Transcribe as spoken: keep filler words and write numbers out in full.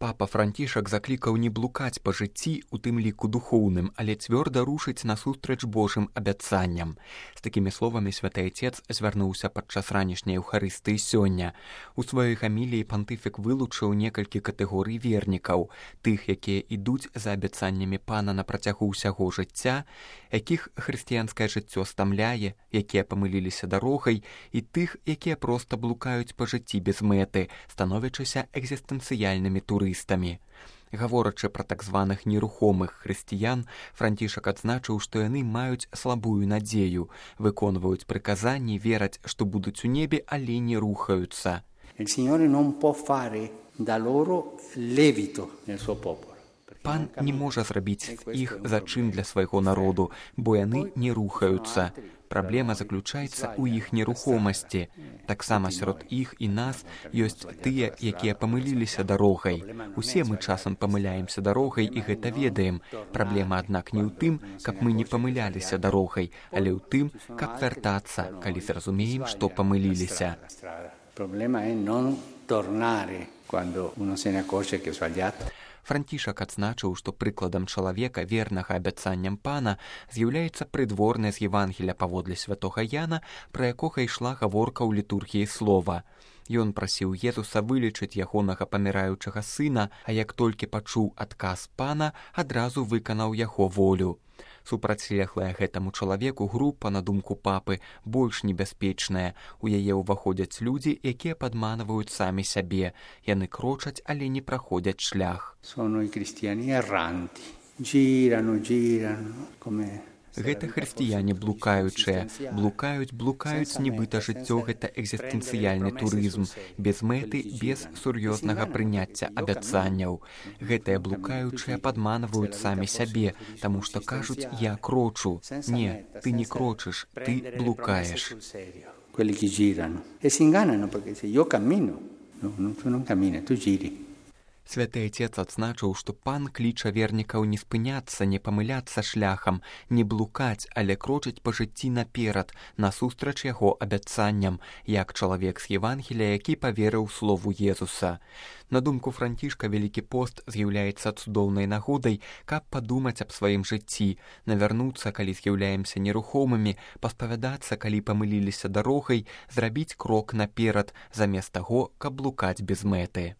Папа Францішак заклікаў не блукаць па жыцці, у тым ліку духоўным, але цвёрда рушыць насустрач Божым абяцанням. З такімі словамі святы Айцец звярнуўся падчас ранішняй Еўхарыстыі сёння. У сваёй гаміліі пантыфік вылучыў некалькі катэгорый вернікаў, тых, якія ідуць за абяцаннямі Пана на працягу ўсяго жыцця, якіх хрысціянскае жыццё стамляе, якія памыліліся дарогай, і тых, якія проста блукаюць па жыцці без мэты, становячыся экзістэнцыяльнымі турыстамі. Гаворачы пра так званых нерухомых хрысціян, Францішак адзначыў, што яны маюць слабую надзею, выконваюць прыказанні, вераць, што будуць у небе, але не рухаюцца. Il Signore non può fare da loro levito nel suo popolo. Пан не можа зрабіць іх зачын для свайго народу, бо яны не рухаюцца. Праблема заключаецца ў іх нерухомасці. Таксама сярод іх і нас ёсць тыя, якія памыліліся дарогай. Усе мы часам памыляемся дарогай і гэта ведаем. Праблема, аднак, не ў тым, каб мы не памыляліся дарогай, але ў тым, каб вяртацца, калі зразумеем, што памыліліся. Проблема è non tornare quando uno se ne accorge che è sbagliato. Францішак адзначыў, што прыкладам чалавека, вернага абяцанням Пана, з'яўляецца прыдворнае з Евангелія паводле святога Яна, пра якога ішла гаворка ў літургіі слова. Ён прасіў Езуса вылечыць ягонага паміраючага сына, а як толькі пачуў адказ Пана, адразу выканаў яго волю. Супрацьлеглая гэтаму чалавеку група, на думку папы, больш небяспечная. У яе ўваходзяць людзі, якія падманваюць самі сябе. Яны крочаць, але не праходзяць шлях. Sono i cristiani erranti. Girano, girano, come... Гэта хрысціяне блукаючыя. Блукаюць, блукаюць, нібыта жыццё гэта экзістэнцыяльны турызм, без мэты, без сур'ёзнага прыняцця абяцанняў. Гэтыя блукаючыя падманваюць самі сябе, таму што кажуць, я крочу. Не, ты не крочыш, ты блукаеш. Quelli che girano e si ingannano perché se io cammino, no, tu non cammini, tu giri. Святы Айцец адзначыў, што Пан кліча вернікаў не спыняцца, не памыляцца шляхам, не блукаць, але крочыць па жыцці наперад, насустрач яго абяцанням, як чалавек з Евангелія, які паверыў слову Езуса. На думку Францішка, Вялікі пост з'яўляецца цудоўнай нагодай, каб падумаць аб сваім жыцці, навярнуцца, калі з'яўляемся нерухомымі, паспавядацца, калі памыліліся дарогай, зрабіць крок наперад, замест таго, каб блукаць без мэты.